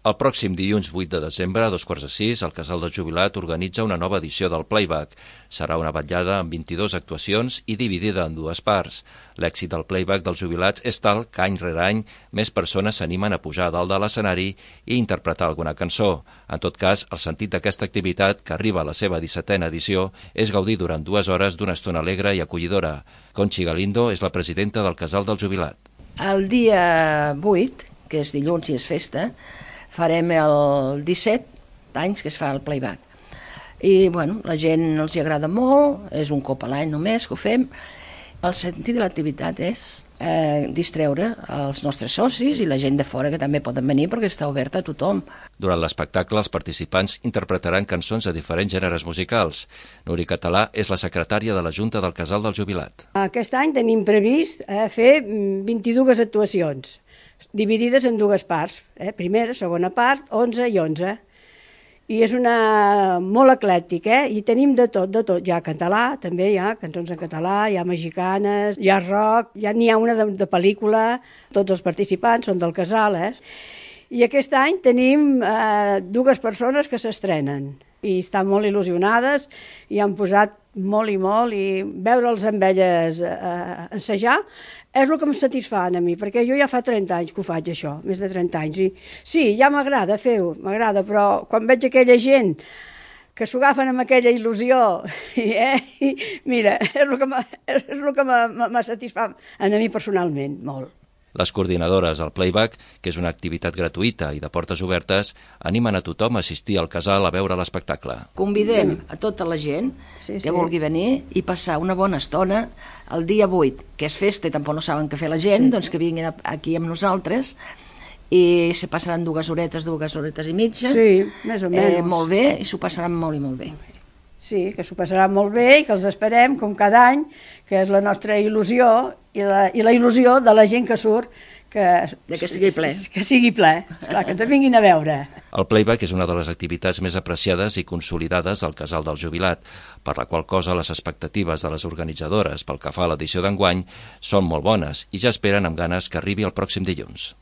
El pròxim dilluns 8 de desembre, a 5:15, el Casal del Jubilat organitza una nova edició del Playback. Serà una vetllada amb 22 actuacions i dividida en dues parts. L'èxit del Playback dels jubilats és tal que any rere any més persones s'animen a pujar a dalt de l'escenari i interpretar alguna cançó. En tot cas, el sentit d'aquesta activitat, que arriba a la seva 17a edició, és gaudir durant 2 hores d'una estona alegre i acollidora. Conchi Galindo és la presidenta del Casal del Jubilat. El dia 8, que és dilluns i és festa, farem el 17 anys que es fa el Playback. I, bueno, la gent els hi agrada molt, és un cop a l'any només que ho fem. El sentit de l'activitat és distreure els nostres socis i la gent de fora que també poden venir perquè està oberta a tothom. Durant l'espectacle, els participants interpretaran cançons de diferents gèneres musicals. Nuri Català és la secretària de la Junta del Casal del Jubilat. Aquest any tenim previst fer 22 actuacions, dividides en dues parts, primera, segona part, 11 i 11. I és molt eclèctic, i tenim de tot. Hi ha català, també hi ha cançons en català, hi ha mexicanes, hi ha rock, n'hi ha una de pel·lícula, tots els participants són del casal, I aquest any tenim 2 persones que s'estrenen i estan molt il·lusionades i han posat molt i veure'ls amb elles ensejar és el que em satisfà a mi, perquè jo ja fa 30 anys que ho faig, això, més de 30 anys. I sí, ja m'agrada fer-ho, però quan veig aquella gent que s'ho agafen amb aquella il·lusió, mira, és el que m'ha satisfà a mi personalment, molt. Les coordinadores del Playback, que és una activitat gratuïta i de portes obertes, animen a tothom a assistir al casal a veure l'espectacle. Convidem a tota la gent que vulgui venir i passar una bona estona el dia 8, que és festa i tampoc no saben què fer la gent, doncs que vinguin aquí amb nosaltres i se passaran 2 horetes i mitja. Sí, més o menys. Molt bé, i s'ho passaran molt i molt bé. Sí, que s'ho passarà molt bé i que els esperem, com cada any, que és la nostra il·lusió i la il·lusió de la gent que surt, que estigui ple. Que sigui ple, clar, que ens vinguin a veure. El Playback és una de les activitats més apreciades i consolidades del Casal del Jubilat, per la qual cosa les expectatives de les organitzadores pel que fa a l'edició d'enguany són molt bones i ja esperen amb ganes que arribi el pròxim dilluns.